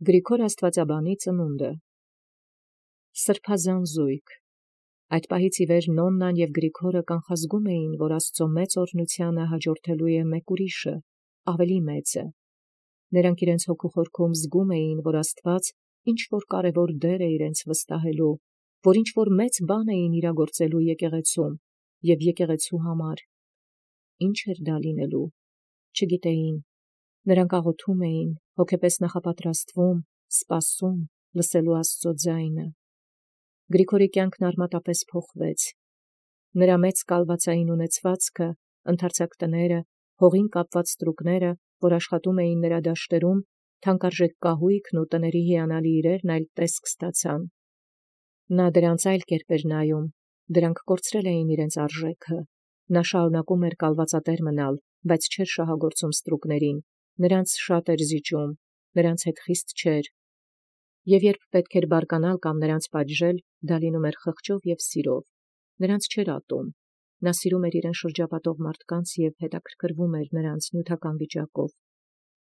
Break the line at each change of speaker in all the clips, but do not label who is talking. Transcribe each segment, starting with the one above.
Գրիգոր Աստուածաբանի ծնունդը։ Սրբազան զույգ։ Այդ պահից ի վեր Նոննան և Գրիգորը կանխազգում էին, որ Աստծո մեծ օրհնութիւնը հաջորդելու է մեկ ուրիշը, ավելի մեծը։ Նրանք իրենց հոգու խորքում զգում էին, որ Աստված ինչ որ կարևոր դեր է իրենց վստահելու, որ ինչ որ մեծ բան էին իրագործելու եկեղեցում և եկեղեցու համար։ Ինչ էր դա լինելու, չգիտեին։ Նրանք աղոթում էին, հոգեպես նախապատրաստվում, սպասում, լսելու Աստծո ձայնը։ Գրիգորի կյանքն արմատապես փոխվեց։ Նրա մեծ կալվածային ունեցվածքը, ընդարձակ տները, հողին կապված ստրուկները, որ աշխատում էին նրա դաշտերում, թանկարժեք կահույքն ու տների հիանալի իրերն այլ տեսք ստացան։ Նա դրանց այլ կերպ էր նայում, դրանք կորցրել էին իրենց արժեքը։ Նա շարունակում էր կալվածատեր մնալ, բայց չէր շահագործում ստրուկներին, նրանց շատ էր զիջում, նրանց հետ խիստ չէր։ Եվ երբ պետք էր բարկանալ կամ նրանց պատժել, դա լինում էր խղճով և սիրով։ Նրանց չէր ատում։ Նա սիրում էր իրեն շրջապատող մարդկանց և հետաքրքրվում էր նրանց նյութական վիճակով։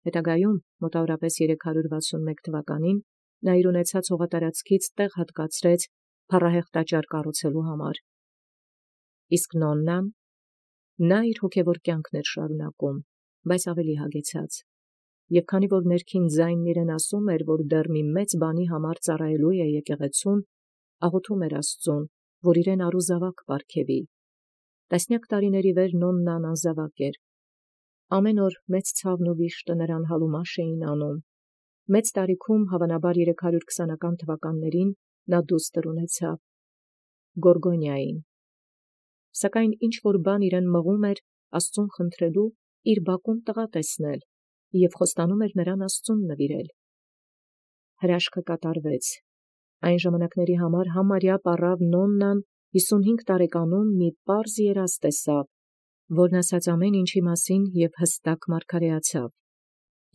Հետագայում, մոտավորապես 361 թվականին, նա իր ունեցած հողատարածքից տեղ հատկացրեց փառահեղ տաճար կառուցելու համար։ Իսկ Նոննան, նա իր հոգևոր կյանքն էր շարունակում, բայց ավելի հագեցած։ Եվ քանի որ ներքին ձայնն իրեն ասում էր, որ դեռ մի մեծ բանի համար ծառայելու է եկեղեցուն, աղոթում էր Աստծուն, որ իրեն առուզավակ պարգևի։ Տասնյակ տարիների վեր Նոննան անզավակ էր։ Ամեն օր մեծ ցավն ու վիշտը նրան հալումաշ էին անում։ Մեծ տարիքում, հավանաբար 320-ական թվականներին, նա դուստր ունեցավ Գորգոնիային։ Սակայն ինչ որ բան իրեն մղում էր Աստծուն խնդրելու իր բակում տղա տեսնել և խոստանում էր նրան Աստծուն նվիրել։ Հրաշքը կատարվեց։ Այն ժամանակների համար համարյա պառավ Նոննան 55 տարեկանում մի պարզ երազ տեսավ, որն ասաց ամեն ինչի մասին և հստակ մարգարեացավ։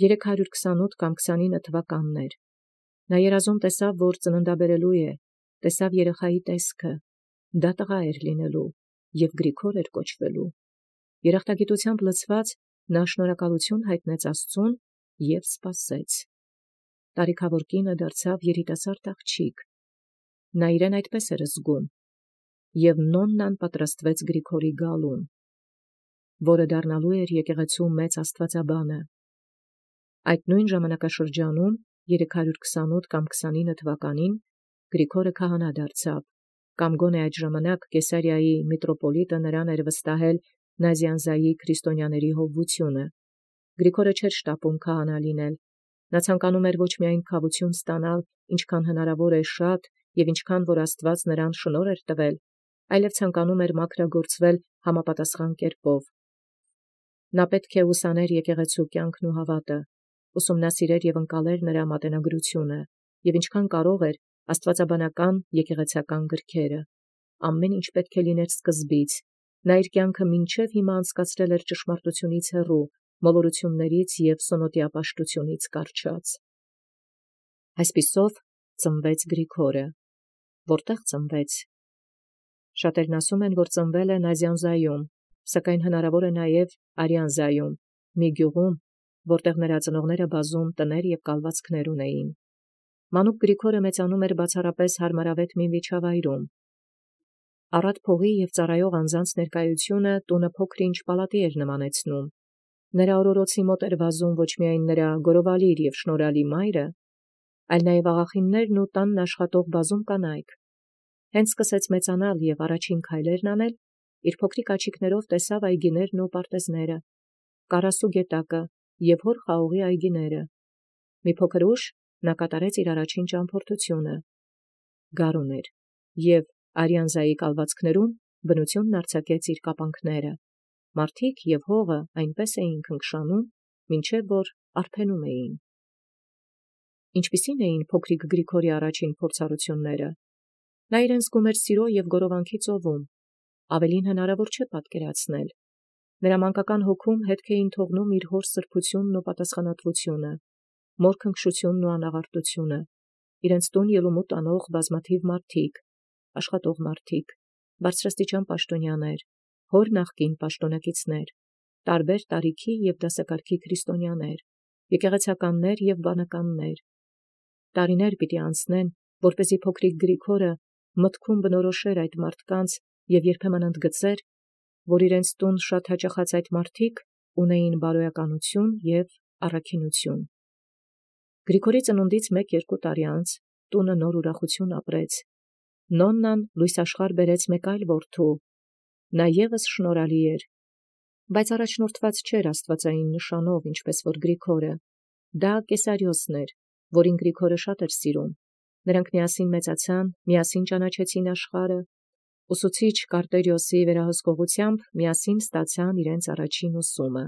328 կամ 29 թվականն էր։ Նա երազում տեսավ, որ ծննդաբերելու է, տեսավ երեխայի տեսքը, դա տղա էր լինելու և Գրիգոր էր կոչվելու։ Երախտագիտությամբ լցված, նա շնորհակալություն հայտնեց Աստծուն և սպասեց։ Տարիքավոր կինը դարձավ երիտասարդ աղջիկ։ Նա իրեն այդպես էր զգում, և Նոննան պատրաստվեց Գրիգորի գալուն, որը դառնալու էր եկեղեցու մեծ աստվածաբանը։ Այդ նույն ժամանակաշրջանում, 328 կամ 29 թվականին, Գրիգորը քահանա դարձավ, կամ գոնե այդ ժամանակ Կեսարիայի միտրոպոլիտը նրան էր վստահել Նազյանզայի քրիստոնյաների հովվությունը։ Գրիգորը չէր շտապում քահանա լինել։ Նա ցանկանում էր ոչ միայն քավություն ստանալ, ինչքան հնարավոր է շատ, և ինչքան որ Աստված նրան շնորհ էր տվել, այլև ցանկանում էր մաքրագործվել համապատասխան կերպով։ Նա պետք է ուսաներ եկեղեցու կյանքն ու հավատը, ուսումնասիրեր և ընկալեր նրա մատենագրությունը, և ինչքան կարող էր աստվածաբանական եկեղեցական գրքերը։ Ամեն ինչ պետք է լիներ սկզբից։ Նա իր կյանքը մինչև հիմա անցկացրել էր ճշմարտությունից հեռու, մոլորություններից և սոնոտիապաշտությունից կառչած։ Այսպիսով ծնվեց Գրիգորը։ Որտեղ ծնվեց։ Շատերն ասում են, որ ծնվել է Նազյանզայում, սակայն հնարավոր է նաև Արյանզայում, մի գյուղում, որտեղ նրա ծնողները բազում տներ և կալվածքներ ունեին։ Մանուկ Գրիգորը մեծանում էր բացառապես հարմարավետ մի միջավայրում։ Առատ փողի և ծառայող անձանց ներկայությունը տունը փոքր-ինչ պալատի էր նմանեցնում։ Նրա օրորոցի մոտ էր վազում ոչ միայն նրա գորովալիր և շնորհալի մայրը, այլ նաև աղախիններն ու տանն աշխատող բազում կանայք։ Հենց սկսեց մեծանալ և առաջին քայլերն անել, իր փոքրիկ աչիկներով տեսավ այգիներն ու պարտեզները, Կարասու գետակը և հոր խաղողի այգիները։ Մի փոքր ուշ նա կատարեց իր առաջին ճամփորդությունը։ Գարուն էր, և Արյանզայի կալվածքներում բնությունն արձակեց իր կապանքները։ Մարդիկ և հողը այնպես էին քնքշանում, մինչև որ արբենում էին։ Ինչպիսի՞ն էին փոքրիկ Գրիգորի առաջին փորձառությունները։ Նա իրեն զգում էր սիրո և գորովանքի ծովում։ Ավելին հնարավոր չէ պատկերացնել։ Նրա մանկական հոգում հետք էին թողնում իր հոր սրբությունն ու պատասխանատվությունը, մոր քնքշությունն ու անաղարտությունը, իրենց տուն ելումուտ անող բազմաթիվ մարդիկ, աշխատող մարդիկ, բարձրաստիճան պաշտոնյաներ, հոր նախկին պաշտոնակիցներ, տարբեր տարիքի և դասակարգի քրիստոնյաներ, եկեղեցականներ և բանականներ, տարիներ պիտի անցնեն, որպեսզի փոքրիկ Գրիգորը մտքում բնորոշեր այդ մարդկանց և երբեմն ընդգծեր, որ իրենց տուն շատ հաճախած այդ մարդիկ ունեին բարոյականություն և առաքինություն։ Գրիգորի ծնունդից 1-2 տարի անց տունը նոր ուրախություն ապրեց։ Նոննան լույս աշխարհ բերեց մեկ այլ որդու, նա ևս շնորհալի էր, բայց առաջնորդված չէր աստվածային նշանով, ինչպես որ Գրիգորը, դա Կեսարիոսն էր, որին Գրիգորը շատ էր սիրում։ Նրանք միասին մեծացան, միասին ճանաչեցին աշխարհը, ուսուցիչ Կարտերիոսի վերահսկողությամբ միասին ստացան իրենց առաջին ուսումը։